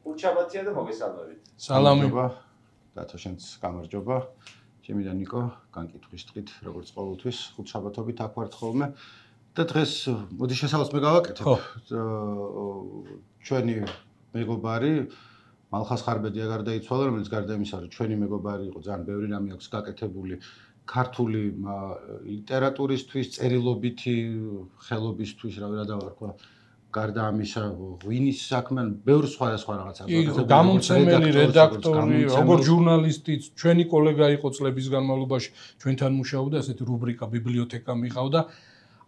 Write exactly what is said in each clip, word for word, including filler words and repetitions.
უჩაბათია და მოგესალმებით. სალამი. დათო შენც გამარჯობა. ჩემი და ნიკო განკითხვის დღით, როგორც ყოველთვის, ხუთშაბათობით აქ ვართ ხოლმე. და დღეს მოდი შესაძლოა მე გავაკეთებ. ჩვენი მეგობარი მალხას ხარბედია გარდაიცვალა, რომელიც გარდა იმისა, რომ ჩვენი მეგობარი იყო, ძალიან ბევრი რამე აქვს გაკეთებული ქართული ლიტერატურისთვის, წერილობითი ხელობისთვის, რა ვერა დავარქვა. გარდა ამისა, ღვინის საქმე, ბევრ სხვა და სხვა რაღაცა. გამომცემელი, რედაქტორი, როგორც ჟურნალისტიც, ჩვენი კოლეგა იყო წლების განმავლობაში, ჩვენთან მუშაობდა, ესეთი რუბრიკა ბიბლიოთეკა მიყავდა.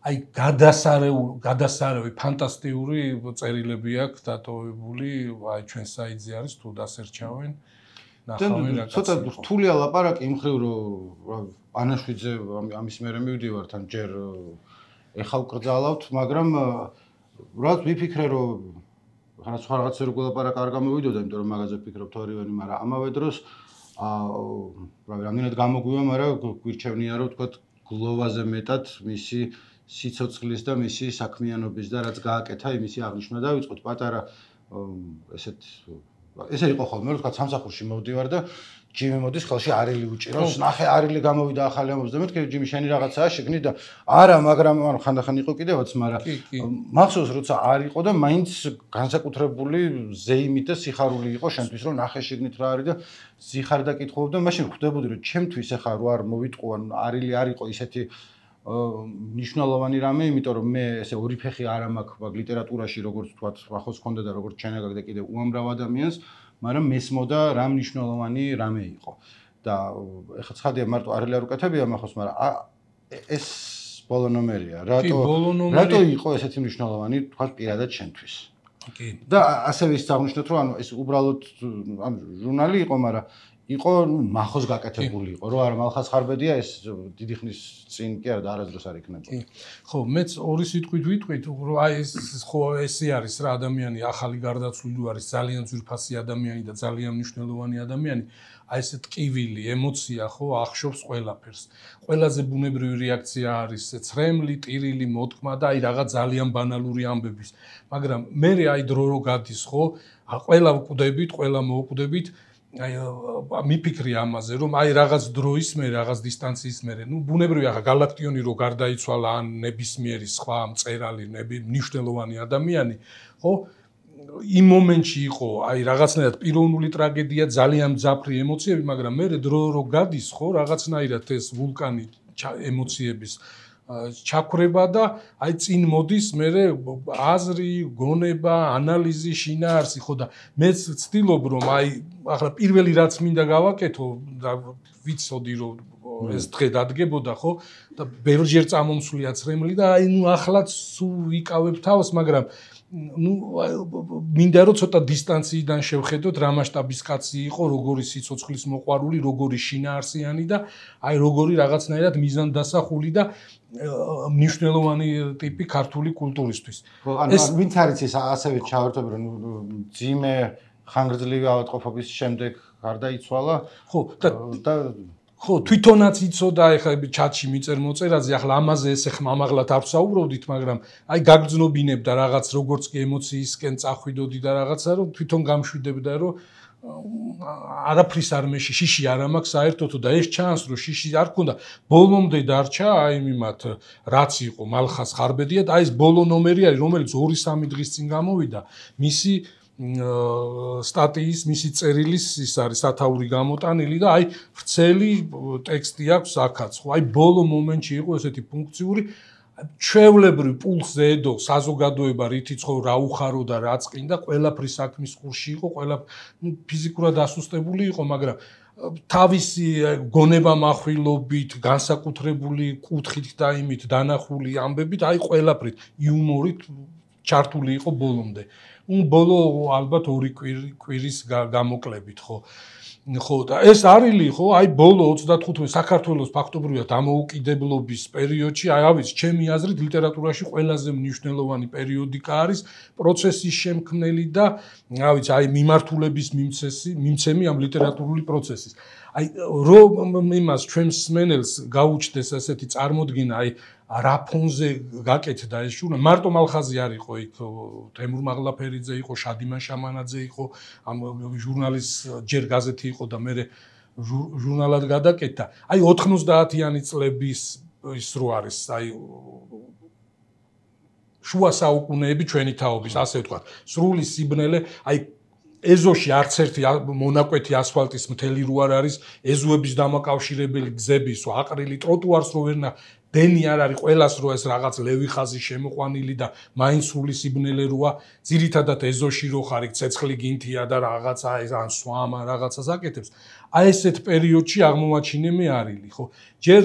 აი გადასარეული, გადასარევი ფანტასტიკური წერილები აქვს დატოვებული, აი ჩვენ საიტზე არის თუ დასერჩავენ. ნახავენ რა. ცოტა რთულია ლაპარაკი იმ ხრივ, რომ ანაშვიძე ამის მერე მივდივართ, ან ჯერ ეხავ კრძალავთ, მაგრამ რაც ვიფიქრე, რომ ხან სხვა რაღაცა რო გულაპარაკა არ გამოვიდოდა, იმიტომ რომ მაგაზე ვფიქრობ თორივენი, მაგრამ ამავე დროს აა რავი, რამდენად გამოგვივა, მაგრამ გვირჩევნია, რომ თქვა გლოვაზე მეტად მისი სიცოცხლის და მისი საქმიანობის და რაც გააკეთა, იმისი აღნიშვნა დავიწყოთ. პატარა ესეთ ესე იყო ხოლმე, რომ თქვა სამსახურში მოვდივარ და ჯიმი მოდის ხელში არილი უჭირავს. ნახე არილი გამოვიდა ახალი ამბობს და მეთქე ჯიმი შენი რაღაცაა შეგნი და არა, მაგრამ ანუ ხანდახან იყო კიდევაც, მაგრამ მახსოვს როცა არ იყო და მაინც განსაკუთრებული ზეიმით და სიხარული იყო შენთვის, რომ ნახე შეგნით რა არის და ზიხარ და კითხულობ და მაშინ ხვდებოდი, რომ ჩემთვის ახლა რო არ მოვიტყო, ანუ არილი არ იყო ისეთი ნიშნულოვანი რამე, იმიტომ რომ მე ესე ორი ფეხი არ მაქვს მაგ ლიტერატურაში, როგორც თქვათ, ახოს ხონდა და როგორც ჩენაგაკ და კიდე უამრავ ადამიანს, მაგრამ მესმოდა რა მნიშვნელოვანი რამე იყო. და ეხლა ცხადია მარტო არილი არ უკეთებია მახოს, მაგრამ ეს ბოლო ნომერია. რატო რატო იყო ესეთი მნიშვნელოვანი, თქვათ, პირადად შენთვის? კი. და ასევე ის აღნიშნოთ, რომ ანუ ეს უბრალოდ ანუ ჟურნალი იყო, მაგრამ იყო მახოს გაკეთებული იყო, რომ არა მალხას ხარბედია ეს დიდი ხნის წინ კი არა და არასდროს არ იქნება. კი. ხო, მეც ორი სიტყვით ვიტყვით, რომ აი ეს ხო ესე არის რა ადამიანი ახალი გარდაცვლილი არის, ძალიან ძვირფასი ადამიანი და ძალიან მნიშვნელოვანი ადამიანი. აი ეს ტკივილი, ემოცია ხო ახშობს ყველაფერს. ყველაზე ბუნებრივი რეაქცია არის ცრემლი, ტირილი, მოთქმა და აი რაღაც ძალიან ბანალური ამბების. მაგრამ მე აი დრო რო გადის ხო, ყველა ვკვდებით, ყველა მოვკვდებით აი მიფიქრი ამაზე რომ აი რაღაც დროის მე რაღაც დისტანციის მე ნუ ბუნებრივია ხა გალაქტიონი რო გარდაიცვალა ან ნებისმიერი სხვა მწერალი ნები მნიშვნელოვანი ადამიანი ხო იმ მომენტში იყო აი რაღაცნაირად პიროვნული ტრაგედია ძალიან მძაფრი ემოციები მაგრამ მე დრო რო გადის ხო რაღაცნაირად ეს ვულკანი ემოციების ჩაქრება და აი წინ მოდის მე აზრი, გონება, ანალიზი, შინაარსი ხო და მეც ვცდილობ რომ აი ახლა პირველი რაც მინდა გავაკეთო და ვიცოდი რომ ეს დღე დადგებოდა ხო და ბევრჯერ წამომსვლია ცრემლი და აი ნუ ახლაც ვიკავებ თავს მაგრამ ნუ მინდა რომ ცოტა დისტანციიდან შევხედოთ რა მასშტაბის კაცი იყო როგორი სიცოცხლის მოყვარული როგორი შინაარსიანი და აი როგორი რაღაცნაირად მიზანდასახული და მნიშვნელოვანი ტიპი ქართული კულტურისთვის. ეს ვინც არის ეს ასევე ჩავერთობ რომ ძიმე ხანგრძლივი ავადმყოფობის შემდეგ გარდაიცვალა. ხო და ხო თვითონაც იცოდა ეხლა ჩატში მიწერ მოწერაზე ახლა ამაზე ესე ხმამაღლად არ ვსაუბრობდით მაგრამ აი გაგრძნობინებდა რაღაც როგორც კი ემოციისკენ წახვიდოდი და რაღაცა რომ თვითონ გამშვიდებდა რომ არაფრის არ მეში შიში არ მაქვს საერთოდ და ეს ჩანს რომ შიში არ ქონდა ბოლომდე დარჩა აი მიმათ რაც იყო მალხას ხარბედია და აი ეს ბოლო ნომერი არის რომელიც ორი სამი დღის წინ გამოვიდა მისი სტატიის მისი წერილის ის არის სათაური გამოტანილი და აი ვრცელი ტექსტი აქვს აქაც ხო აი ბოლო მომენტში იყო ესეთი ფუნქციური ჩვეულებრივ პულსზე ედო საზოგადოება რითიც ხო რა უხარო და რა წკინდა ყველაფრის საქმის კურსში იყო ყველა ფიზიკურად ასუსტებული იყო მაგრამ თავისი გონება מחვილობით განსაკუთრებული კუთხით და იმით დანახული ამბებით აი ყველაფრით იუმორით ჩართული იყო ბოლომდე ნუ ბოლო ალბათ ორი კვირის გამოკლებით ხო ხო და ეს არილი ხო აი ბოლო ოცდათხუთმეტ საქართველოს ფაქტობრივად დამოუკიდებლობის პერიოდში აი ავიც ჩემი აზრით ლიტერატურაში ყველაზე მნიშვნელოვანი პერიოდიკა არის პროცესის შემქმნელი და ავიც აი მიმართულების მიმცესი მიმცემი ამ ლიტერატურული პროცესის აი რომ იმას ჩვენს სმენელს გაუჩნდეს ასეთი წარმოდგენა აი რა ფონზე გაკეთდა ეს ჟურნალი. მარტო მალხაზი არ იყო იქ, თემურ მაღლაფერიძე იყო, შადიმან შამანაძე იყო, ამ ჟურნალის ჯერ გაზეთი იყო და მე ჟურნალად გადაკეთდა. აი ოთხმოცდაათიანი წლების ის რო არის, აი შუა საუკუნეები ჩვენი თაობის, ასე ვთქვათ. სრული სიბნელე, აი ეზოში არც ერთი მონაკვეთი ასფალტის მთელი რო არ არის, ეზოების დამაკავშირებელი გზების, აყრილი ტროტუარს რო ვერნა დენი არ არის, ყველას რო ეს რაღაც ლევი ხაზი შემოყვანილი და მაინც სრული სიბნელე როა, ძირითადად ეზოში რო ხარ, ცეცხლი გინთია და რაღაცა ეს ან სვამა რაღაცას აკეთებს. აი ესეთ პერიოდში აღმოაჩინე მე არილი, ხო? ჯერ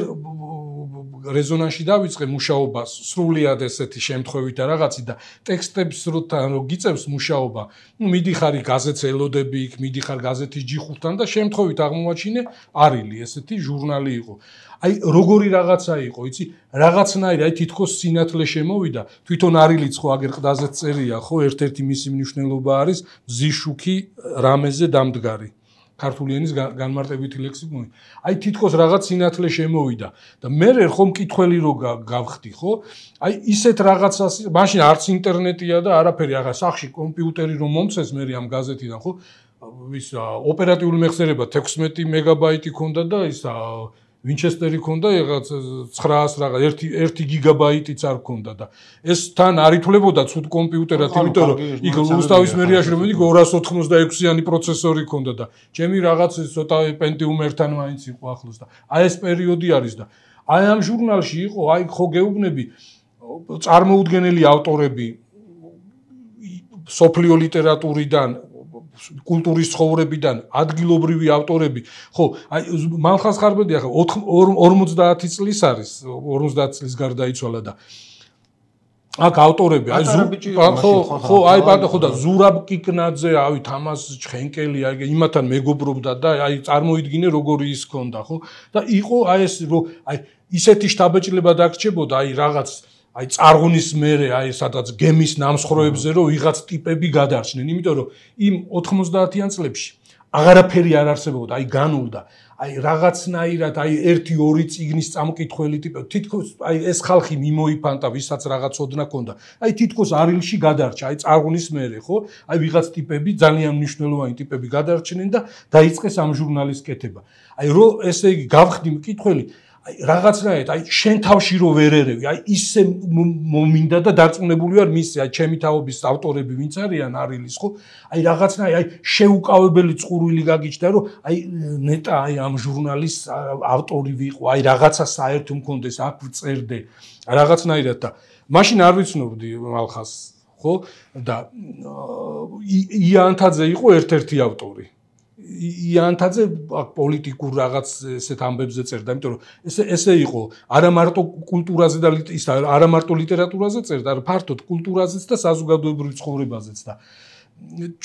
რეზონანსში დავიწყე მუშაობას, სრულიად ესეთი შემთხვევით და რაღაცი და ტექსტებს რო გიწევს მუშაობა, ნუ მიდიხარ გაზეთს ელოდები იქ, მიდიხარ გაზეთის ჯიხურთან და შემთხვევით აღმოაჩინე არილი, ესეთი ჟურნალი იყო. აი როგორი რაღაცა იყო, იცი, რაღაცნაირი, აი თითქოს სინათლე შემოვიდა, თვითონ არილიც ხო აგერ ყდაზე წერია, ხო, ერთ-ერთი მისი მნიშვნელობა არის ზიშუქი რამეზე დამდგარი. ქართული ენის განმარტებითი ლექსიკონი. აი თითქოს რაღაც სინათლე შემოვიდა და მე ხომ მკითხველი რო გავხდი, ხო? აი ისეთ რაღაცას, მაშინ არც ინტერნეტია და არაფერი, ახლა სახში კომპიუტერი რომ მომწეს მე ამ გაზეთიდან, ხო? ის ოპერატიული მეხსიერება თექვსმეტი მეგაბაიტი ქონდა და ის ვინჩესტერი ქონდა რაღაც ცხრაას რაღაც ერთი გიგაბაიტიც არ ქონდა და ეს თან არ ითვლებოდა ცუდ კომპიუტერად, იმიტომ რომ იქ რუსთავის მერიაში რომ მიდი ორას ოთხმოცდაექვსიანი პროცესორი ქონდა და ჩემი რაღაც ცოტა პენტიუმ ერთთან მაინც იყო ახლოს და აი ეს პერიოდი არის და აი ამ ჟურნალში იყო, აი ხო გეუბნები წარმოუდგენელი ავტორები სოფლიო ლიტერატურიდან კულტურის ცხოვრებიდან ადგილობრივი ავტორები, ხო, აი მალხაზ ხარბედი ახლა ორმოცდაათი წლის არის, ორმოცდაათი წლის გარდაიცვალა და აქ ავტორები, აი ხო, ხო, აი პატა ხო და ზურაბ კიკნაძე, აი თამას ჩხენკელი, აი იმათან მეგობრობდა და აი წარმოიდგინე როგორი ის ქონდა, ხო? და იყო აი ეს რომ აი ისეთი შტაბეჭდილება დაგრჩებოდა, აი რაღაც აი წარღვნის მერე აი სადაც გემის ნამსხვრევებზე რომ ვიღაც ტიპები გადარჩნენ, იმიტომ რომ იმ ოთხმოცდაათიან წლებში აღარაფერი არ არსებობდა, აი განულდა, აი რაღაცნაირად აი ერთი ორი წიგნის წამკითხველი ტიპები, თითქოს აი ეს ხალხი მიმოიფანტა, ვისაც რაღაც ოდნა ქონდა. აი თითქოს არილში გადარჩა, აი წარღვნის მერე, ხო? აი ვიღაც ტიპები, ძალიან მნიშვნელოვანი ტიპები გადარჩნენ და დაიწყეს ამ ჟურნალის კეთება. აი რო ესე იგი გავხდი მკითხველი აი რაღაცნაირად აი შენ თავში რო ვერ ერევი, აი ისე მომინდა და დარწმუნებული ვარ მისი, აი ჩემი თაობის ავტორები ვინც არიან არილის, ხო? აი რაღაცნაირად აი შეუკავებელი წყურვილი გაგიჩნდა, რომ აი ნეტა აი ამ ჟურნალის ავტორი ვიყო, აი რაღაცა საერთო მქონდეს, აქ ვწერდე, რაღაცნაირად და მაშინ არ ვიცნობდი მალხას, ხო? და იანთაძე იყო ერთ-ერთი ავტორი. იანთაძე პოლიტიკურ რაღაც ესეთ ამბებზე წერდა, იმიტომ რომ ესე ესე იყო, არა მარტო კულტურაზე და ის არა მარტო ლიტერატურაზე წერდა, ფართოდ კულტურაზეც და საზოგადოებრივ ცხოვრებაზეც და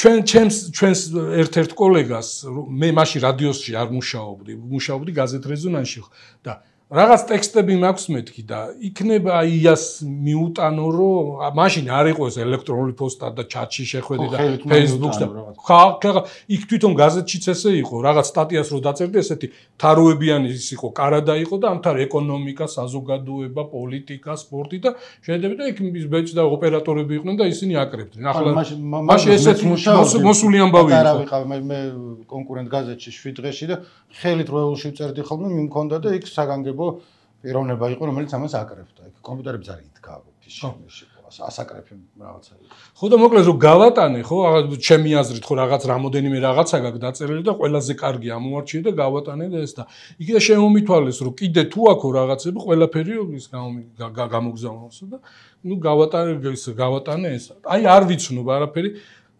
ჩვენ ჩემს ჩვენს ერთ-ერთ კოლეგას მე მაშინ რადიოსში არ მუშაობდი, მუშაობდი გაზეთ რეზონანსში და რაღაც ტექსტები მაქვს მეთქი და იქნება იას მიუტანო რომ მაშინ არ იყო ეს ელექტრონული პოსტა და ჩატში შეხვედი და Facebook-ს და ხა იქ თვითონ გაზეთშიც ესე იყო რაღაც სტატიას რო დაწერდი ესეთი თაროებიანი ის იყო კარადა იყო და ამთან ეკონომიკა, საზოგადოება, პოლიტიკა, სპორტი და შედები და იქ ბეჭ და ოპერატორები იყვნენ და ისინი აკრებდნენ. ახლა მაშინ ესეთი მოსული ამბავი იყო. არა ვიყავ მე კონკურენტ გაზეთში შვიდ დღეში და ხელით როელში წერდი ხოლმე მიმქონდა და იქ საგანგებო პიროვნება იყო, რომელიც ამას აკრებდა. იქ კომპიუტერებს არ იდგა ფიში. ასაკრეფი რაღაცა. ხო და მოკლედ რომ გავატანე, ხო, ჩემი აზრით ხო რაღაც რამოდენიმე რაღაცა გაქვს დაწერილი და ყველაზე კარგი ამოვარჩიე და გავატანე და ეს და იქ შემომითვალეს რომ კიდე თუ აქო რაღაცები ყველაფერი ის გამოგზავნოს და ნუ გავატანე ეს გავატანე ეს. აი არ ვიცნობ არაფერი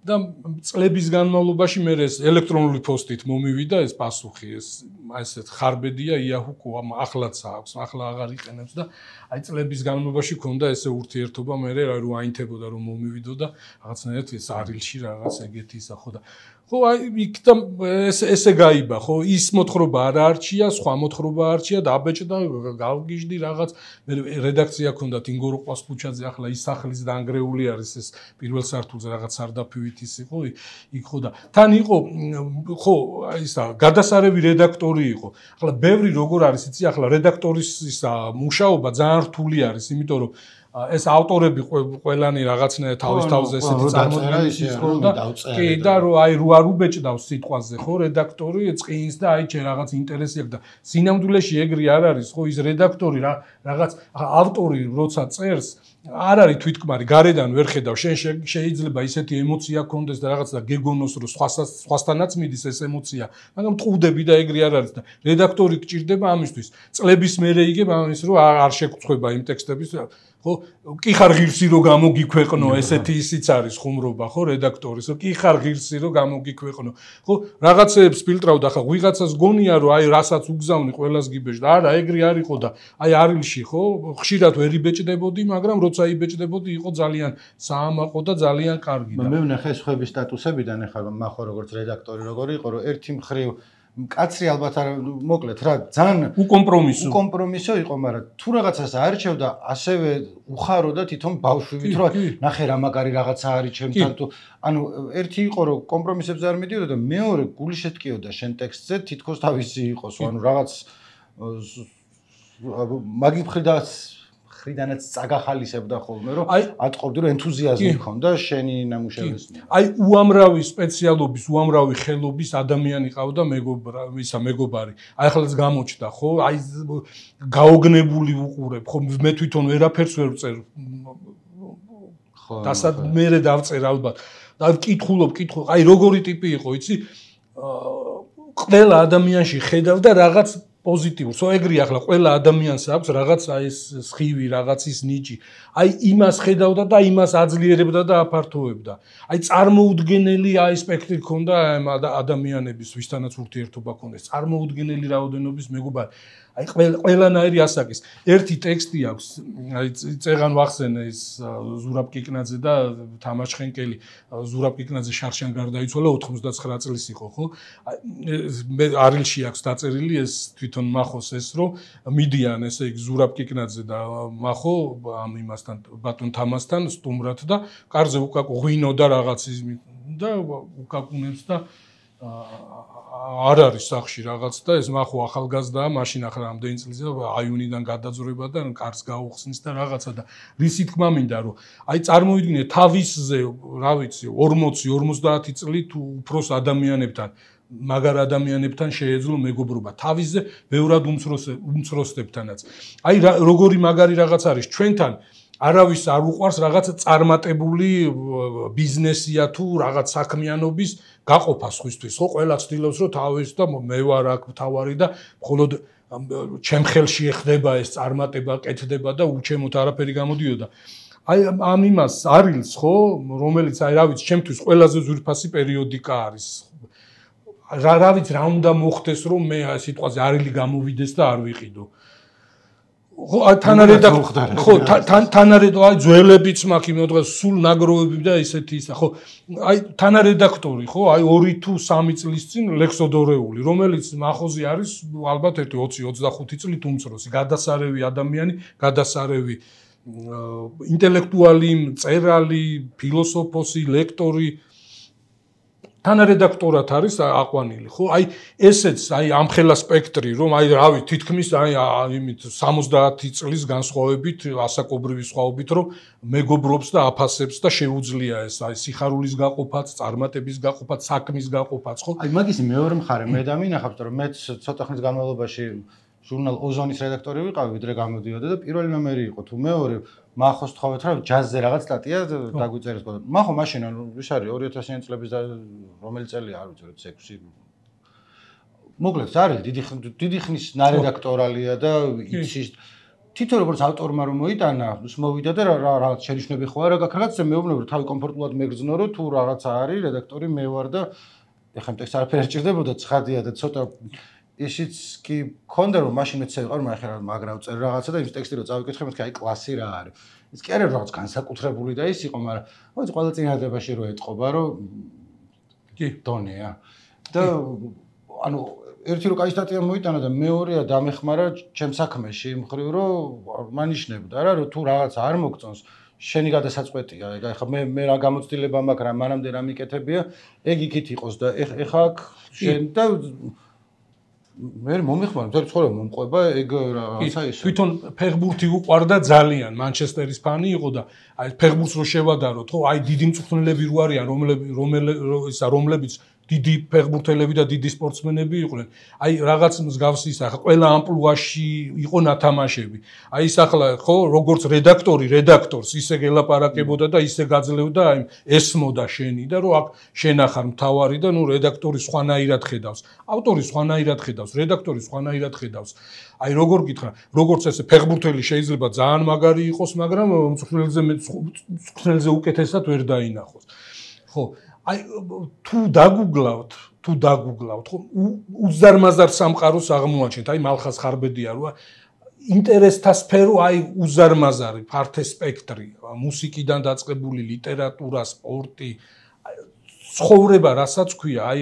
და წლების განმავლობაში მე ეს ელექტრონული პოსტით მომივიდა ეს პასუხი, ეს ესეთ ხარბედია იაჰუ ახლაც აქვს, ახლა აღარ იყენებს და აი წლების განმავლობაში ქონდა ესე ურთიერთობა მე რომ აინთებოდა რომ მომივიდო და რაღაცნაირად ეს არილში რაღაც ეგეთი ისა ხო და ხო აი იქ და ესე გაიბა ხო ის მოთხრობა არ არჩია, სხვა მოთხრობა არჩია და აბეჭდა გავგიჟდი რაღაც მე რედაქცია ქონდათ ინგორო ყვასკუჩაძე ახლა ის სახლის დაანგრეული არის ეს პირველ სართულზე რაღაც სარდაფივით ამით ის იყო იქ ხო და თან იყო ხო ისა გადასარევი რედაქტორი იყო. ახლა ბევრი როგორ არის იცი ახლა რედაქტორის ისა მუშაობა ძალიან რთული არის, იმიტომ რომ ეს ავტორები ყველანი რაღაცნაირად თავის თავზე ესეთი წარმოდგენის იყო და კი და რომ აი რო არ უბეჭდავს სიტყვაზე ხო რედაქტორი წინს და აი ჩე რაღაც ინტერესი აქვს და სინამდვილეში ეგრე არ არის ხო ის რედაქტორი რაღაც ავტორი როცა წერს არ არის თვითკმარი გარედან ვერ ხედავ შენ შეიძლება ისეთი ემოცია გქონდეს და რაღაც და გეგონოს რომ სხვასთანაც მიდის ეს ემოცია მაგრამ ტყუდები და ეგრე არ არის და რედაქტორი გჭირდება ამისთვის წლების მერე იგებ ამის რომ არ შეგწყვება იმ ტექსტების ხო კი ხარ ღირსი რომ გამოგიქვეყნო ესეთი ისიც არის ხუმრობა ხო რედაქტორის რომ კი ხარ ღირსი რომ გამოგიქვეყნო ხო რაღაცეებს ფილტრავ და ხა ვიღაცას გონია რომ აი რასაც უგზავნი ყველას გიბეჭ და არა ეგრე არ იყო და აი არილში ხო ხშირად ვერ იბეჭდებოდი მაგრამ როცა იბეჭდებოდი იყო ძალიან საამაყო და ძალიან კარგი და მე ვნახე სხვების სტატუსებიდან ახლა მახო როგორც რედაქტორი როგორი იყო რომ ერთი მხრივ კაცრი ალბათ არ მოკლედ რა ძალიან უკომპრომისო უკომპრომისო იყო მაგრამ თუ რაღაცას არჩევდა ასევე უხარო და თვითონ ბავშვივით რომ ნახე რა მაგარი რაღაცა არის ჩემთან თუ ანუ ერთი იყო რომ კომპრომისებზე არ მიდიოდა და მეორე გული შეტკიოდა შენ ტექსტზე თითქოს თავისი იყოს ანუ რაღაც მაგი მხრიდანაც მხრიდანაც წაგახალისებდა ხოლმე რომ ატყობდი რომ ენთუზიაზმი ჰქონდა შენი ნამუშევრის აი უამრავი სპეციალობის უამრავი ხელობის ადამიანი ყავდა მეგობრა ისა მეგობარი აი ხალხს გამოჩნდა ხო აი გაოგნებული უყურებ ხო მე თვითონ ვერაფერს ვერ ვწერ ხო დასად მერე დავწერ ალბათ და ვკითხულობ კითხო აი როგორი ტიპი იყო იცი ყველა ადამიანში ხედავ და რაღაც პოზიტიურს. ო ეგრე ახლა ყველა ადამიანს აქვს რაღაც აი ეს სხივი, რაღაც ის ნიჭი. აი იმას ხედავდა და იმას აძლიერებდა და აფართოვებდა. აი წარმოუდგენელი აი სპექტრი ქონდა ადამიანების, ვისთანაც ურთიერთობა ქონდეს. წარმოუდგენელი რაოდენობის მეგობარი. აი ყველანაირი ასაკის. ერთი ტექსტი აქვს, აი წეღან ვახსენე ის ზურაბ კიკნაძე და თამაშ ხენკელი. ზურაბ კიკნაძე შარშან გარდაიცვალა ოთხმოცდაცხრა წლის იყო, ხო? აი მე არილში აქვს დაწერილი ეს თვითონ მახოს ეს რომ მიდიან ესე იგი ზურაბ კიკნაძე და მახო ამ იმასთან ბატონ თამასთან სტუმრად და კარზე უკაკ ღვინო და რაღაც ის და უკაკუნებს და არ არის სახში რაღაც და ეს მახო ახალგაზრდაა მაშინ ახლა რამდენი წელია აიუნიდან გადაძვრება და კარს გაუხსნის და რაღაცა და რისი თქმა მინდა რომ აი წარმოიდგინე თავისზე რა ვიცი ორმოცი ორმოცდაათი წლით უფროს ადამიანებთან მაგარ ადამიანებთან შეეძლო მეგობრობა თავისზე ბევრად უმცროსდებთანაც აი როგორი მაგარი რაღაც არის ჩვენთან არავის არ უყვარს რაღაც წარმატებული ბიზნესია თუ რაღაც საქმიანობის გაყოფა სხვისთვის ხო ყველა ცდილობს რომ თავის და მე ვარ აქ თავარი და მხოლოდ ჩემ ხელში ეხდება ეს წარმატება კეთდება და უჩემოთ არაფერი გამოდიოდა აი ამ იმას არილს ხო რომელიც აი რა ვიცი ჩემთვის ყველაზე ზვირფასი პერიოდიკა არის რა რა ვიცი რა უნდა მოხდეს რომ მე სიტყვაზე არილი გამოვიდეს და არ ვიყიდო ხო თანარედაქტორი ხო თანარედაქტორი აი ძველებიც მაქვს იმ დღეს სულ ნაგროვები და ისეთი ისა ხო აი თანარედაქტორი ხო აი ორი თუ სამი წლის წინ ლექსოდორეული რომელიც მახოზე არის ალბათ ერთი ოცი ოცდახუთი წლით უმცროსი გადასარევი ადამიანი გადასარევი ინტელექტუალი მწერალი ფილოსოფოსი ლექტორი თანარედაქტორად არის აყვანილი ხო აი ესეც აი ამხელა სპექტრი რომ აი რავი თითქმის აი იმით სამოცდაათი წლის განსხვავებით ასაკობრივი სხვაობით რომ მეგობრობს და აფასებს და შეუძლია ეს აი სიხარულის გაყოფაც წარმატების გაყოფაც საქმის გაყოფაც ხო აი მაგის მეორე მხარე მე დამინახავთ რომ მე ცოტა ხნის განმავლობაში ჟურნალ ოზონის რედაქტორი ვიყავი ვიდრე გამოდიოდა და პირველი ნომერი იყო თუ მეორე მახოს თხოვეთ რა ჯაზზე რაღაც სტატია დაგვიწერეს ყო მახო მაშინ ის არის ორი ათასიანი წლების რომელი წელია არ ვიცი როცა ექვსი მოკლედ არის დიდი დიდი ხნის ნარედაქტორალია და იცის თვითონ როგორც ავტორმა რომ მოიტანა ის მოვიდა და რაღაც შენიშვნები ხო არა გაქვს რაღაცა მეუბნები რომ თავი კომფორტულად მეგრძნო რომ თუ რაღაცა არის რედაქტორი მე ვარ და ეხლა ტექსტ არაფერი არ ჭირდებოდა ცხადია და ცოტა ისიც კი მქონდა რომ მაშინ მეც ვიყავ რომ ახლა მაგრა ვწერ რაღაცა და ის ტექსტი რო წავიკითხე მეთქი აი კლასი რა არის ის კი არის რაღაც განსაკუთრებული და ის იყო მაგრამ მოიც ყველა წინადადებაში რო ეთყობა რომ კი დონეა და ანუ ერთი რო კაი სტატია მოიტანა და მეორეა დამეხმარა ჩემ საქმეში მხრივ რომ მანიშნებდა რა რომ თუ რაღაცა არ მოგწონს შენი გადასაწყვეტია. ეხლა მე მე რა გამოცდილება მაქვს, რა მანამდე რა მიკეთებია, ეგ იქით იყოს და ეხლა აქ შენ და მე მომიხმარ, მთელი ცხოვრება მომყვება ეგ რაღაცა ის. თვითონ ფეხბურთი უყვარდა ძალიან, მანჩესტერის ფანი იყო და აი ფეხბურთს რო შევადაროთ, ხო, აი დიდი მწვრთნელები რო არიან, რომლებიც ისა რომლებიც დიდი ფეხბურთელები და დიდი სპორტსმენები იყვნენ. აი რაღაც მსგავსი ის ახლა ყველა ამპლუაში იყო ნათამაშები. აი ის ახლა ხო როგორც რედაქტორი რედაქტორს ისე გელაპარაკებოდა და ისე გაძლევდა აი ესმოდა შენი და რომ აქ შენ ახარ მთავარი და ნუ რედაქტორი სხვანაირად ხედავს. ავტორი სხვანაირად ხედავს, რედაქტორი სხვანაირად ხედავს. აი როგორ გითხრა, როგორც ესე ფეხბურთელი შეიძლება ძალიან მაგარი იყოს, მაგრამ მწვრთნელზე მწვრთნელზე უკეთესად ვერ დაინახოს. ხო აი თუ დაგუგლავთ, თუ დაგუგლავთ, ხო უზარმაზარ სამყაროს აღმოაჩენთ, აი მალხას ხარბედია რა ინტერესთა სფერო აი უზარმაზარი, ფართე სპექტრი, მუსიკიდან დაწყებული ლიტერატურა, სპორტი, ცხოვრება, რასაც ქვია, აი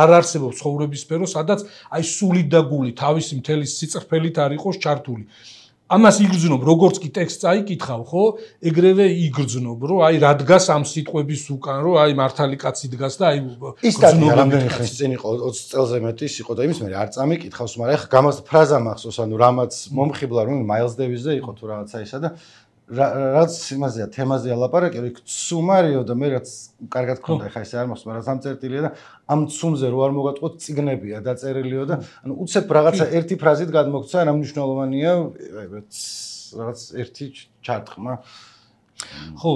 არ არსებობს ცხოვრების სფერო, სადაც აი სული და გული თავისი მთელი სიწყფელით არ იყოს ჩართული. ამას იგრძნობ, როგორც კი ტექსტს აიკითხავ, ხო? ეგრევე იგრძნობ, რომ აი რა დგას ამ სიტყვების უკან, რომ აი მართალი კაცი დგას და აი ის სტატია რამდენი ხნის წინ იყო, ოცი წელზე მეტი იყო და იმის მე არ წამიკითხავს, მაგრამ ეხა გამას ფრაზა მახსოვს, ანუ რამაც მომხიბლა, რომ მაილს დევისზე იყო თუ რაღაცა ისა და რაც იმაზეა, თემაზეა ლაპარაკი, იქ ცუმარიო და მე რაც კარგად გქონდა, ეხა ესე არ მახსოვს, მაგრამ სამწერტილია და ამ ცუმზე რო არ მოგატყოთ, წიგნებია დაწერილიო და ანუ უცებ რაღაცა ერთი ფრაზით გადმოგცა, რა მნიშვნელოვანია, რაღაც ერთი ჩარტყმა. ხო,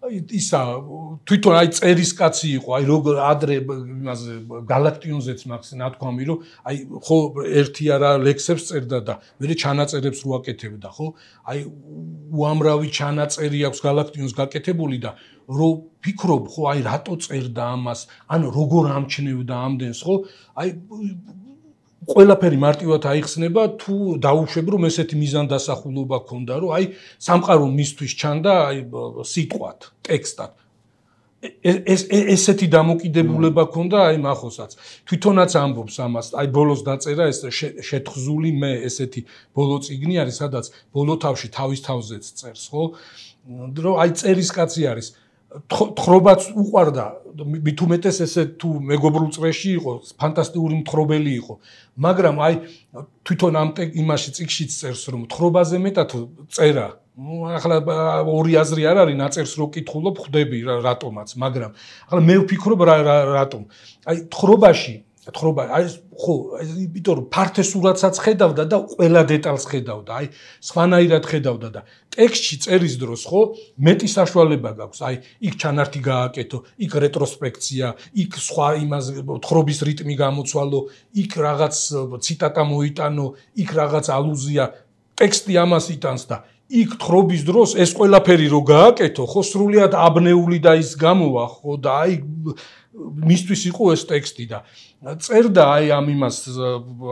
ისა თვითონ აი წერის კაცი იყო, აი როგორ ადრე იმაზე გალაქტიონზეც მაქვს ნათქვამი, რომ აი ხო ერთი არა ლექსებს წერდა და მე ჩანაწერებს რო აკეთებდა, ხო? აი უამრავი ჩანაწერი აქვს გალაქტიონს გაკეთებული და რო ფიქრობ, ხო, აი რატო წერდა ამას, ან როგორ ამჩნევდა ამდენს, ხო? აი ყველაფერი მარტივად აიხსნება თუ დაუშვებ რომ ესეთი მიზანდასახულობა ქონდა რომ აი სამყარო მისთვის ჩანდა აი სიტყვად, ტექსტად. ეს ესეთი დამოკიდებულება ქონდა აი მახოსაც. თვითონაც ამბობს ამას, აი ბოლოს დაწერა ეს შეთხზული მე ესეთი ბოლო წიგნი არის, სადაც ბოლო თავში თავის თავზეც წერს, ხო? რომ აი წერის კაცი არის. თხრობაც უყვარდა, მით უმეტეს ესე თუ მეგობრულ წრეში იყო, ფანტასტიკური მთხრობელი იყო. მაგრამ აი თვითონ ამ იმაში წიგშიც წერს, რომ თხრობაზე მეტად წერა. ნუ ახლა ორი აზრი არ არის, ნაწერს რო კითხულობ, ხვდები რატომაც, მაგრამ ახლა მე ვფიქრობ რატომ. აი თხრობაში თხრობა აი ხო იმიტომ რომ ფართე სურათსაც ხედავდა და ყველა დეტალს ხედავდა აი სხვანაირად ხედავდა და ტექსტში წერის დროს ხო მეტი საშუალება გაქვს აი იქ ჩანართი გააკეთო იქ რეტროსპექცია იქ სხვა იმას თხრობის რიტმი გამოცვალო იქ რაღაც ციტატა მოიტანო იქ რაღაც ალუზია ტექსტი ამას იტანს და იქ თხრობის დროს ეს ყველაფერი რო გააკეთო ხო სრულიად აბნეული და ის გამოვა ხო და აი მისთვის იყო ეს ტექსტი და წერდა აი ამ იმას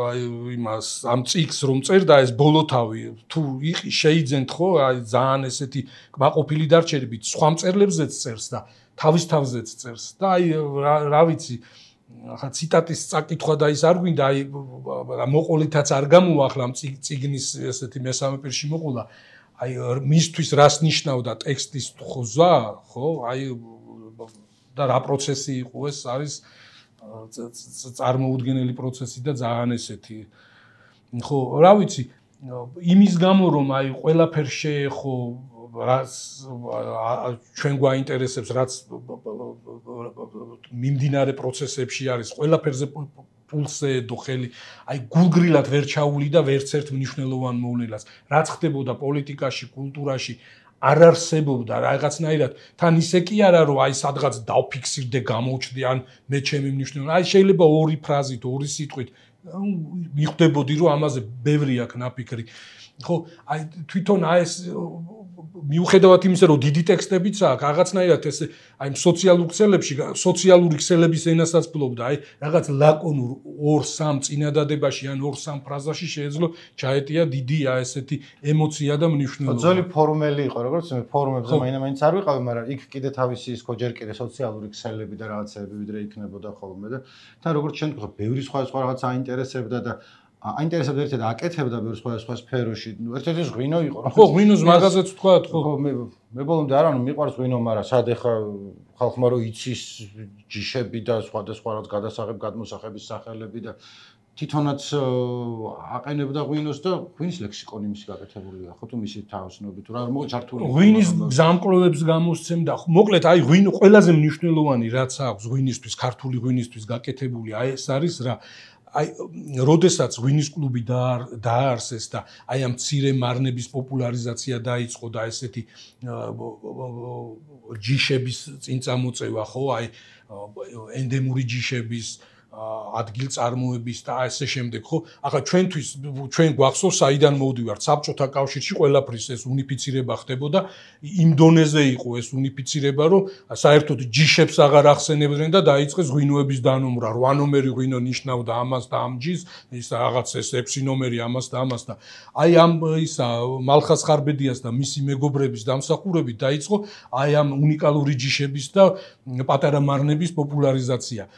აი იმას ამ წიგს რომ წერდა ეს ბოლოთავი თუ იყი შეიძენთ ხო აი ძალიან ესეთი კმაყოფილი დარჩენებით სხვა მწერლებზეც წერს და თავის თავზეც წერს და აი რა ვიცი ახლა ციტატის წაკითხვა და ის არ გვინდა აი მოყოლითაც არ გამოახლა ამ წიგნის ესეთი მესამე პირში მოყოლა აი მისთვის რას ნიშნავდა ტექსტის ხოზვა ხო აი და რა პროცესი იყო ეს არის წარმოუდგენელი პროცესი და ძალიან ესეთი ხო რა ვიცი იმის გამო რომ აი ყველაფერს შეეხო რაც ჩვენ გვაინტერესებს რაც მიმდინარე პროცესებში არის ყველაფერზე პულსზე დო ხელი აი გულგრილად ვერ ჩაული და ვერც ერთ მნიშვნელოვან მოვლენას რაც ხდებოდა პოლიტიკაში კულტურაში არ არსებობდა რაღაცნაირად თან ისე კი არა რომ აი სადღაც დავფიქსირდე გამოვჩდე ან მე ჩემი მნიშვნელობა აი შეიძლება ორი ფრაზით ორი სიტყვით მიხვდებოდი რომ ამაზე ბევრი აქვს ნაფიქრი ხო აი თვითონ აი ეს მიუხედავად იმისა რომ დიდი ტექსტებიც აქვს რაღაცნაირად ეს აი სოციალურ ქსელებში სოციალური ქსელების ენასაც ფლობდა აი რაღაც ლაკონურ ორ სამ წინადადებაში ან ორ სამ ფრაზაში შეეძლო ჩაეტია დიდი აი ესეთი ემოცია და მნიშვნელობა ძველი ფორმელი იყო როგორც მე ფორმებზე მაინც არ ვიყავი მაგრამ იქ კიდე თავისი ის ხო ჯერ კიდე სოციალური ქსელები და რაღაცები ვიდრე იქნებოდა ხოლმე და თან როგორც შენ გქო ბევრი სხვა სხვა რაღაც აინტერესებდა და აინტერესებდა ერთად აკეთებდა ბევრ სხვა სხვა სფეროში. ერთ-ერთი ღვინო იყო. ხო, ღვინოს მაღაზიაც თქვა, ხო. ხო, მე მე ბოლომდე არ ანუ მიყვარს ღვინო, მაგრამ სად ეხა ხალხმა რო იცის ჯიშები და სხვადასხვა რაც გადასაღებ გადმოსახების სახელები და თვითონაც აყენებდა ღვინოს და ღვინის ლექსიკონი მისი გაკეთებულია, ხო თუ მისი თავისნობით თუ რა არ მოგ ჩართული. ღვინის გზამკვლევებს გამოსცემდა. მოკლედ, აი ღვინო ყველაზე მნიშვნელოვანი რაც აქვს ღვინისთვის, ქართული ღვინისთვის გაკეთებული, აი ეს არის რა აი როდესაც ღვინის კლუბი დაარსეს და აი ამ მცირე მარნების პოპულარიზაცია დაიწყო და ესეთი ჯიშების წინ წამოწევა, ხო, აი ენდემური ჯიშების ადგილწარმოების და ასე შემდეგ, ხო? ახლა ჩვენთვის ჩვენ გვახსოვს საიდან მოვდივართ საბჭოთა კავშირში ყველაფრის ეს უნიფიცირება ხდებოდა, იმ დონეზე იყო ეს უნიფიცირება, რომ საერთოდ ჯიშებს აღარ ახსენებდნენ და დაიწყეს ღვინოების დანომრა, რვა ნომერი ღვინო ნიშნავდა ამას და ამ ჯიშს, ის რაღაც ეს ექვსი ნომერი ამას და ამას და აი ამ ისა მალხას ხარბედიას და მისი მეგობრების დამსახურებით დაიწყო აი ამ უნიკალური ჯიშების და პატარა მარნების პოპულარიზაცია.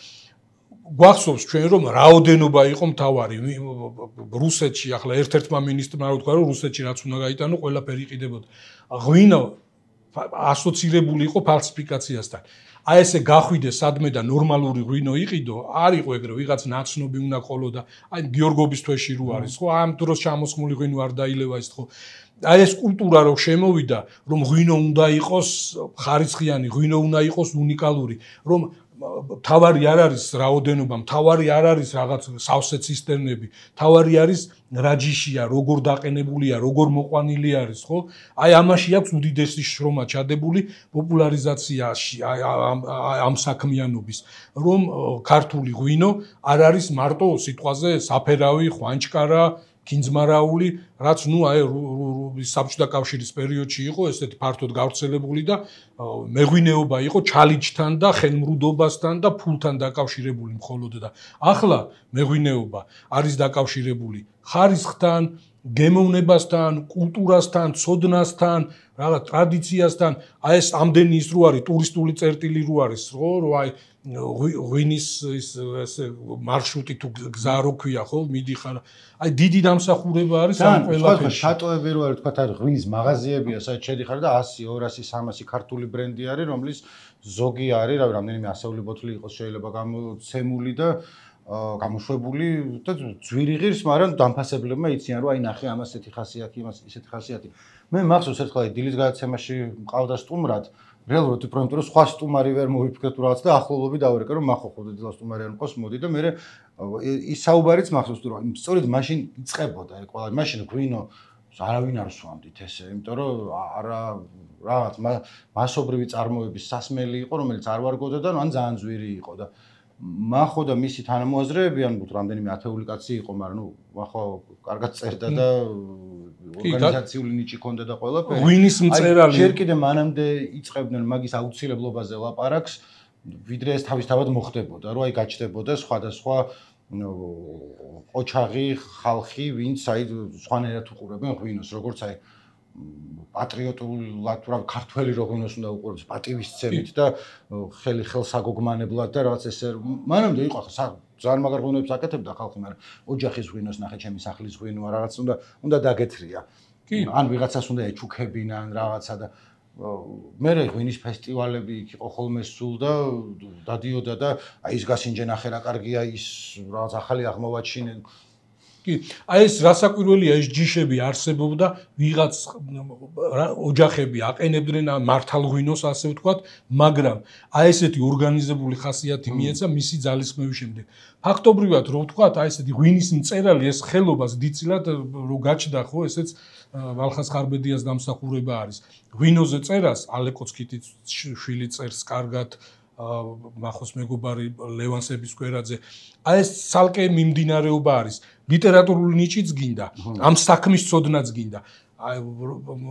გვახსოვს ჩვენ რომ რაოდენობა იყო მთავარი რუსეთში ახლა ერთ-ერთმა მინისტრმა რო თქვა რომ რუსეთში რაც უნდა გაიტანო ყველაფერი იყიდებოდა ღვინო ასოცირებული იყო ფალსიფიკაციასთან აი ესე გახვიდე სადმე და ნორმალური ღვინო იყიდო არ იყო ეგრე ვიღაც ნაცნობი უნდა ყოლოდა აი გიორგობის თვეში რო არის ხო ამ დროს ჩამოსხმული ღვინო არ დაილევა ის ხო აი ეს კულტურა რო შემოვიდა რომ ღვინო უნდა იყოს ხარისხიანი ღვინო უნდა იყოს უნიკალური რომ თავარი არ არის რაოდენობა, თავარი არ არის რაღაც სავსე ცისტერნები, თავარი არის რა ჯიშია, როგორ დაყენებულია, როგორ მოყვანილი არის, ხო? აი ამაში აქვს უდიდესი შრომა ჩადებული პოპულარიზაციაში ამ საქმიანობის, რომ ქართული ღვინო არ არის მარტო სიტყვაზე საფერავი, ხვანჭკარა კინძმარაული, რაც ნუ აი საბჭოთა კავშირის პერიოდში იყო ესეთი ფართოდ გავრცელებული და მეღვინეობა იყო ჩალიჩთან და ხელმრუდობასთან და ფულთან დაკავშირებული მხოლოდ და ახლა მეღვინეობა არის დაკავშირებული ხარისხთან, გემოვნებასთან, კულტურასთან, ცოდნასთან, რაღაც ტრადიციასთან, აი ეს ამდენი ის რო არის ტურისტული წერტილი რო არის, ხო, რო აი ღვინის ის ესე მარშრუტი თუ გზა რო ქვია, ხო, მიდიხარ. აი დიდი დამსახურება არის ამ ყველაფერში. შატოები რო არის, თქვა, არის ღვინის მაღაზიებია, სადაც შედიხარ და ასი, ორასი, სამასი ქართული ბრენდი არის, რომლის ზოგი არის, რავი, რამდენიმე ასეული ბოთლი იყოს შეიძლება გამოცემული და გამოშვებული და ძვირი ღირს, მაგრამ დამფასებლებმა იციან რომ აი ნახე ამას ესეთი ხასიათი, იმას ისეთი ხასიათი. მე მახსოვს ერთხელ აი დილის გადაცემაში მყავდა სტუმრად, რეალურად ვიპრომეთ რომ სხვა სტუმარი ვერ მოვიფიქრეთ თუ რაღაც და ახლობლობი დავერეკე რომ მახო ხო დილა სტუმარი არ მყავს მოდი და მე ის საუბარიც მახსოვს რომ სწორედ მაშინ იწყებოდა აი ყველა მაშინ ღვინო არავინ არ სვამდით ესე, იმიტომ რომ არა რაღაც მასობრივი წარმოების სასმელი იყო, რომელიც არ ვარგოდა და ან ძალიან ძვირი იყო და მახო და მისი თანამოაზრეები ან რამდენიმე ათეული კაცი იყო, მაგრამ ნუ მახო კარგად წერდა და ორგანიზაციული ნიჭი ჰქონდა და ყველაფერი. ღვინის მწერალი. ჯერ კიდე მანამდე იწყებდნენ მაგის აუცილებლობაზე ლაპარაკს, ვიდრე ეს თავისთავად მოხდებოდა, რომ აი გაჩნდებოდა სხვადასხვა ოჩაღი ხალხი, ვინც აი სხვანაირად უყურებენ ღვინოს, როგორც აი პატრიოტულად რა ქართველი როგინოს უნდა უყურებს პატივისცემით და ხელი ხელს აგოგმანებლად და რაღაც ესე მანამდე იყო ხა ძალიან მაგარ ღვინოებს აკეთებდა ხალხი, მაგრამ ოჯახის ღვინოს ნახე ჩემი სახლის ღვინოა რაღაც უნდა უნდა დაგეთრია. ან ვიღაცას უნდა ეჩუქებინან რაღაცა და მე ღვინის ფესტივალები იქ იყო ხოლმე სულ და დადიოდა და აი ის გასინჯე ნახე რა კარგია ის რაღაც ახალი აღმოვაჩინე კი, აი ეს რასაკვირველია ეს ჯიშები არსებობდა, ვიღაც ოჯახები აყენებდნენ მართალ ღვინოს ასე ვთქვათ, მაგრამ აი ესეთი ორგანიზებული ხასიათი მიეცა მისი ძალისხმევის შემდეგ. ფაქტობრივად რო ვთქვათ, აი ესეთი ღვინის მწერალი ეს ხელობას დიდწილად რო გაჩნდა ხო, ესეც მალხას ხარბედიას დამსახურება არის. ღვინოზე წერას ალეკოცკიტის შვილი წერს კარგად მახოს მეგობარი ლევან სებისკვერაძე. აი ეს ცალკე მიმდინარეობა არის. ლიტერატურული ნიჭიც გინდა, ამ საქმის ცოდნაც გინდა. აი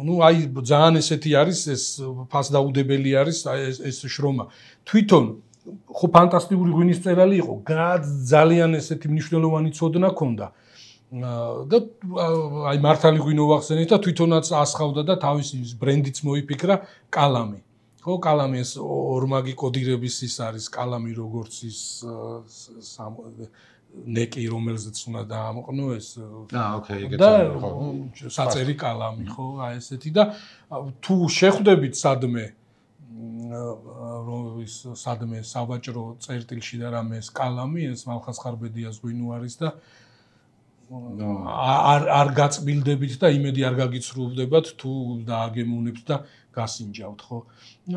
ნუ აი ძალიან ესეთი არის ეს ფასდაუდებელი არის აი ეს შრომა. თვითონ ხო ფანტასტიკური ღვინის წერალი იყო, ძალიან ესეთი მნიშვნელოვანი ცოდნა ჰქონდა. და აი მართალი ღვინო ვახსენეთ და თვითონაც ასხავდა და თავისი ბრენდიც მოიფიქრა კალამი. ხო, კალამი ეს ორმაგი კოდირების ის არის, კალამი როგორც ის ნეკი რომელზეც უნდა დაამყნო ეს აა ოკეი ეგეც ხო საწერი კალამი ხო აი ესეთი და თუ შეხვდებით სადმე რომ ის სადმე სავაჭრო წერტილში და რამე ეს კალამი ეს მალხაზ-ხარბედიას ღვინო არის და არ არ გაწმილდებით და იმედი არ გაგიცრუებდებათ თუ დააგემოვნებთ და გასინჯავთ ხო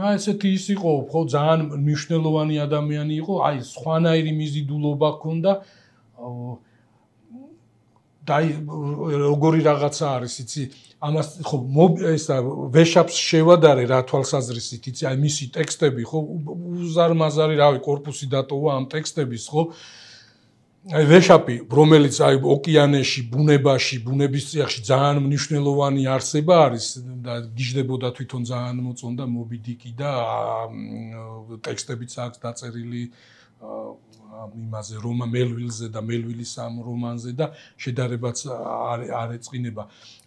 აი ესეთი ის იყო ხო ძალიან მნიშვნელოვანი ადამიანი იყო აი სხვანაირი მიზიდულობა ჰქონდა და როგორი რაღაცა არის იცი ამას ხო ესა ვეშაპს შევადარე რა თვალსაზრისით იცი აი მისი ტექსტები ხო უზარმაზარი რავი კორპუსი დატოვა ამ ტექსტების ხო აი ვეშაპი რომელიც აი ოკეანეში ბუნებაში ბუნების წიაღში ძალიან მნიშვნელოვანი არსება არის და გიждდებოდა თვითონ ძალიან მოწონდა მობი დიკი და ტექსტებიც აქვს დაწერილი იმაზე რომა მელვილზე და მელვილის ამ რომანზე და შედარებაც არ ეწყინება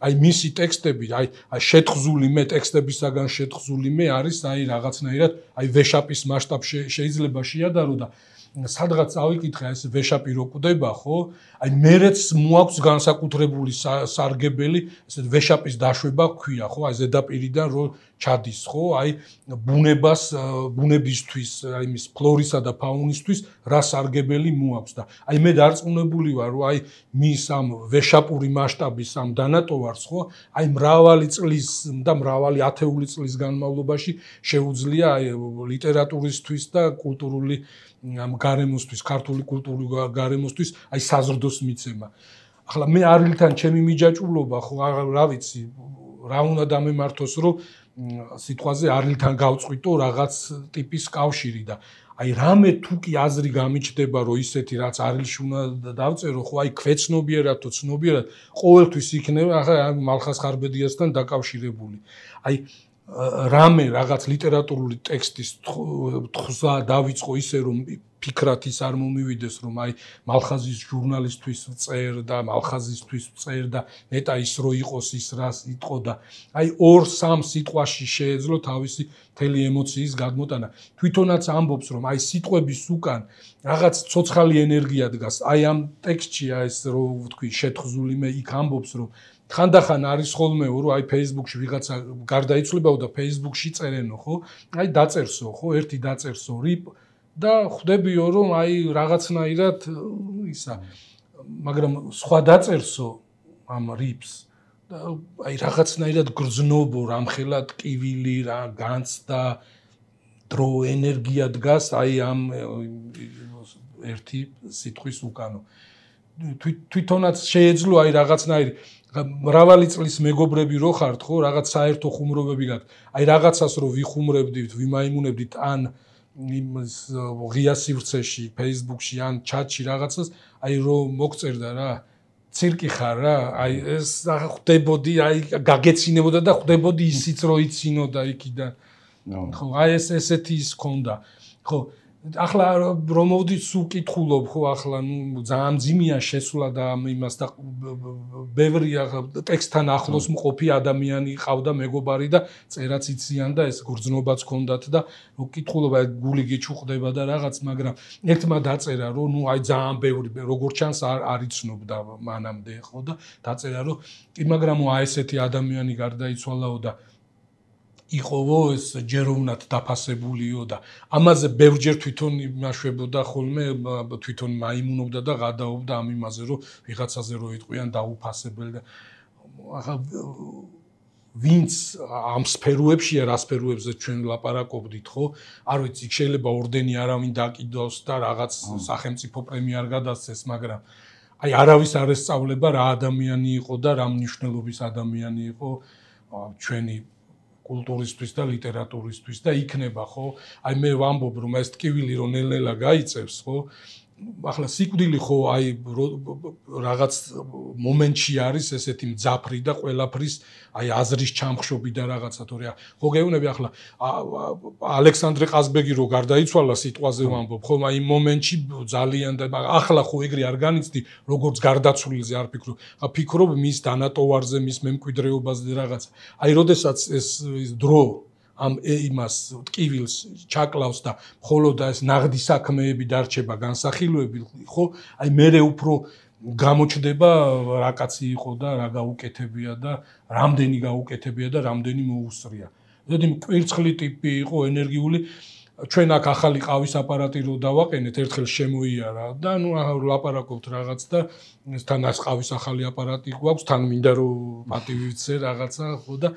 აი მისი ტექსტები აი შეთხზული მე ტექსტებისაგან შეთხზული მე არის აი რაღაცნაირად აი ვეშაპის მასშტაბში შეიძლება შეადარო და სადღაც ავიკითხე ეს ვეშაპი რო კვდება ხო აი მერეც მოაქვს განსაკუთრებული სარგებელი ესე ვეშაპის დაშვება ქვია ხო აი ზედაპირიდან რო ჩადის ხო აი ბუნებას ბუნებისთვის აი მის ფლორისა და ფაუნისთვის რა სარგებელი მოაქვს და აი მე დარწმუნებული ვარ რომ აი მის ამ ვეშაპური მასშტაბის ამ დანატოვარს ხო აი მრავალი წლის და მრავალი ათეული წლის განმავლობაში შეუძლია აი ლიტერატურისთვის და კულტურული ამ გარემოსთვის, ქართული კულტურული გარემოსთვის აი საზრდოს მიცემა. ახლა მე არილთან ჩემი მიჯაჭვულობა ხო რა ვიცი, რა უნდა დამემართოს, რომ სიტყვაზე არილთან გავწყვიტო რაღაც ტიპის კავშირი და აი რამე თუ კი აზრი გამიჩნდება, რომ ისეთი რაც არილში უნდა დავწერო, ხო აი ქვეცნობიერად თუ ცნობიერად ყოველთვის იქნება ახლა მალხაზ-ხარბედიასთან დაკავშირებული. აი რამე რაღაც ლიტერატურული ტექსტის თხზა დავიწყო ისე რომ ფიქრად ის არ მომივიდეს რომ აი მალხაზის ჟურნალისტვის წერ და მალხაზისთვის წერ და ნეტა ის რო იყოს ის რას იტყო და აი ორ სამ სიტყვაში შეეძლო თავისი მთელი ემოციის გადმოტანა თვითონაც ამბობს რომ აი სიტყვების უკან რაღაც ცოცხალი ენერგია დგას აი ამ ტექსტში ეს რო ვთქვი შეთხზული მე იქ ამბობს რომ ხანდახან არის ხოლმე რომ აი Facebook-ში ვიღაცა გარდაიცვლებაო და Facebook-ში წერენო ხო? აი დაწერსო ხო? ერთი დაწერსო რიპ და ხვდებიო რომ აი რაღაცნაირად ისა მაგრამ სხვა დაწერსო ამ რიპს და აი რაღაცნაირად გრძნობო რამხელა ტკივილი რა განცდა დრო ენერგია დგას აი ამ ერთი სიტყვის უკანო თვითონაც შეეძლო აი რაღაცნაირი მრავალი წლის მეგობრები რო ხართ ხო რაღაც საერთო ხუმრობები გაქვთ აი რაღაცას რო ვიხუმრებდით ვიმაიმუნებდით ან იმის ღია სივრცეში Facebook-ში ან ჩატში რაღაცას აი რო მოგწერდა რა ცირკი ხარ რა აი ეს ხვდებოდი აი გაგეცინებოდა და ხვდებოდი ისიც რო იცინოდა იქიდან ხო აი ეს ესეთი ის ქონდა ხო ახლა რომ მოვდით სულ კითხულობ ხო ახლა ნუ ძალიან ძიმია შესვლა და იმას და ბევრი ტექსტთან ახლოს მყოფი ადამიანი ყავდა მეგობარი და წერაც იციან და ეს გრძნობაც ჰქონდათ და კითხულობა გული გიჩუყდება და რაღაც მაგრამ ერთმა დაწერა რომ ნუ აი ძალიან ბევრი როგორ ჩანს არ არიცნობდა მანამდე ხო და დაწერა რომ კი მაგრამ აი ესეთი ადამიანი გარდაიცვალაო და იყოვო ეს ჯეროვნად დაფასებულიო და ამაზე ბევრჯერ თვითონ იმაშვებოდა ხოლმე თვითონ მაიმუნობდა და გადაობდა ამ იმაზე რომ ვიღაცაზე რო იტყვიან დაუფასებელი და ახლა ვინც ამ სფეროებშია რა სფეროებზე ჩვენ ლაპარაკობდით ხო არ ვიცი შეიძლება ორდენი არავინ დაკიდოს და რაღაც სახელმწიფო პრემია არ გადასცეს მაგრამ აი არავის არ ესწავლება რა ადამიანი იყო და რა მნიშვნელობის ადამიანი იყო ჩვენი კულტურისთვის და ლიტერატურისთვის და იქნება ხო აი მე ვამბობ რომ ეს ტკივილი რომ ნელ-ნელა გაიწევს ხო ახლა სიკვდილი ხო აი რაღაც მომენტში არის ესეთი მძაფრი და ყველაფრის აი აზრის ჩამხშობი და რაღაცა თორე ხო გეუბნები ახლა ალექსანდრე ყაზბეგი რო გარდაიცვალა სიტყვაზე ვამბობ ხო აი იმ მომენტში ძალიან და ახლა ხო ეგრე არ განიცდი როგორც გარდაცვლილზე არ ფიქრობ ხა ფიქრობ მის დანატოვარზე მის მემკვიდრეობაზე და რაღაცა აი როდესაც ეს დრო ამ იმას ტკივილს ჩაკლავს და მხოლოდ ეს ნაღდი საქმეები დარჩება განსახილვები, ხო? აი მერე უფრო გამოჩდება რა კაცი იყო და რა გაუკეთებია და რამდენი გაუკეთებია და რამდენი მოუსწრია. ზოგი კვირცხლი ტიპი იყო ენერგიული ჩვენ აქ ახალი ყავის აპარატი რო დავაყენეთ ერთხელ შემოიარა და ნუ ლაპარაკობთ რაღაც და თან ას ყავის ახალი აპარატი გვაქვს თან მინდა რომ პატივიცე რაღაცა ხო და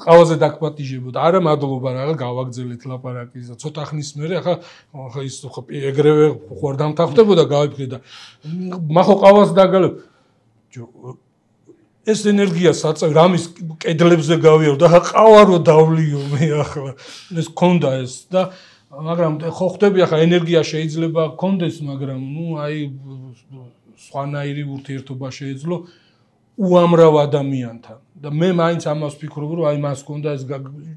ყავაზე დაგპატიჟებოდა არა მადლობა რაღაც გავაგზელეთ ლაპარაკის და ცოტა ხნის მერე ახლა ახლა ის ხო ეგრევე ხوار დამთახდებოდა გავიფრე და მახო ყავას დაგალებ ეს ენერგია საწევ რამის კედლებზე გავიარო და ყავა რო დავლიო მე ახლა ეს ქონდა ეს და მაგრამ ხო ხვდები ახლა ენერგია შეიძლება გქონდეს მაგრამ ნუ აი სხვანაირი ურთიერთობა შეეძლო უამრავ ადამიანთან და მე მაინც ამას ვფიქრობ რომ აი მას ჰქონდა ეს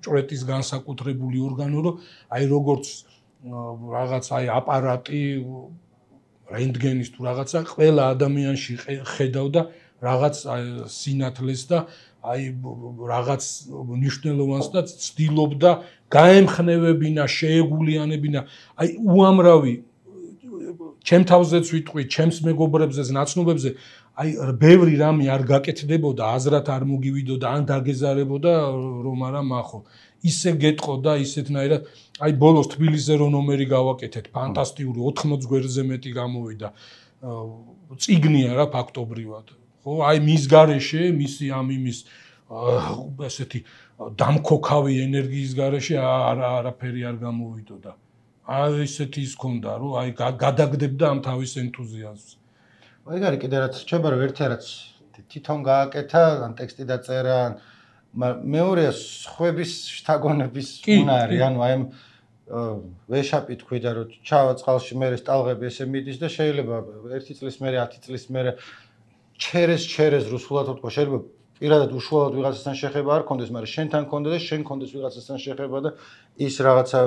ჭვრეტის განსაკუთრებული ორგანო რომ აი როგორც რაღაც აი აპარატი რენტგენის თუ რაღაცა ყველა ადამიანში ხედავდა რაღაც სინათლეს და აი რაღაც მნიშვნელოვანს და ცდილობდა გაემხნევებინა, შეეგულიანებინა, აი უამრავი ჩემ თავზეც ვიტყვი, ჩემს მეგობრებზეც, ნაცნობებზე, აი ბევრი რამე არ გაკეთდებოდა, აზრად არ მოგივიდოდა, ან დაგეზარებოდა, რომ არა მახო. ისე გეტყოდა, ისეთნაირად, აი ბოლოს თბილისზე რო ნომერი გავაკეთეთ, ფანტასტიკური ოთხმოც გვერდზე მეტი გამოვიდა. წიგნია რა ფაქტობრივად. ხო, აი მის გარეშე, მისი ამ იმის ესეთი დამქოქავი ენერგიის გარეშე არა არაფერი არ გამოვიდოდა. აი ესეთი ის ქონდა, რომ აი გადაგდებდა ამ თავის ენთუზიაზმს. აი გარი კიდე რაც რჩება რომ ერთი რაც თვითონ გააკეთა, ან ტექსტი დაწერა, მეორეა სხვების შთაგონების უნარი, ანუ აი ამ ვეშაპი თქვი და რომ ჩავა წყალში მე სტალღები ესე მიდის და შეიძლება ერთი წლის მერე, ათი წლის მერე ჩერეს ჩერეს რუსულად თქვა შეიძლება პირადად უშუალოდ ვიღაცასთან შეხება არ კონდეს, მაგრამ შენთან კონდა და შენ კონდეს ვიღაცასთან შეხება და ის რაღაცა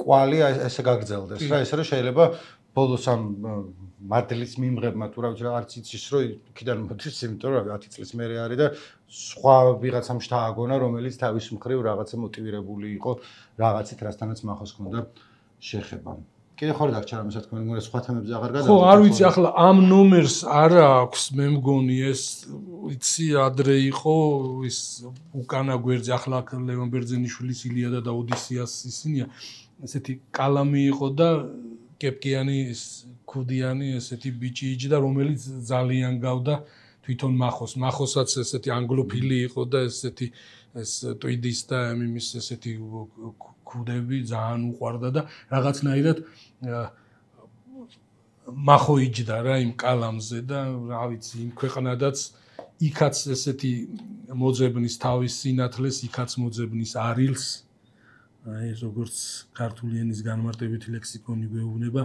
კვალი ესე გაგრძელდეს რა ესე რომ შეიძლება ბოლოს ამ მადლის მიმღებმა თუ რა ვიცი რა არც იცის რომ იქიდან მოდის იმიტომ რომ ათი წლის მერე არის და სხვა ვიღაცამ შთააგონა რომელიც თავის მხრივ რაღაცა მოტივირებული იყო რაღაცით რასთანაც მახოს ქონდა შეხება. კიდე ხარ დაგჭირა ამას თქვენ მეგონა სხვა თემებზე აღარ გადავიდეთ. ხო, არ ვიცი ახლა ამ ნომერს არა აქვს მე მგონი ეს ვიცი ადრე იყო ის უკანა გვერდზე ახლა ლევან ბერძენიშვილის ილიადა და ოდისეას ისინია ესეთი კალამი იყო და კეპკიანი ქუდიანი ესეთი ბიჭი იჯდა რომელიც ძალიან გავდა თვითონ მახოს მახოსაც ესეთი ანგლოფილი იყო და ესეთი ეს ტვიდის და იმის ესეთი ქუდები ძალიან უყვარდა და რაღაცნაირად მახო იჯდა რა იმ კალამზე და რა ვიცი იმ ქვეყნადაც იქაც ესეთი მოძებნის თავის სინათლეს იქაც მოძებნის არილს აი როგორც ქართული ენის განმარტებითი ლექსიკონი გვეუბნება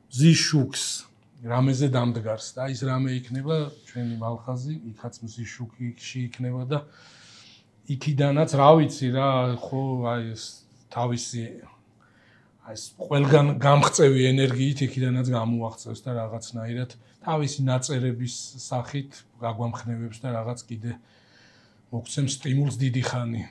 მზიშუქს რამეზე დამდგარს და ის რამე იქნება ჩვენი მალხაზი იქაც მზიშუქში იქნება და იქიდანაც რა ვიცი რა ხო აი ეს თავისი აი ეს ყველგან გამღწევი ენერგიით იქიდანაც გამოაღწევს და რაღაცნაირად თავისი ნაწერების სახით გაგვამხნევებს და რაღაც კიდე მოგცემს სტიმულს დიდი ხანი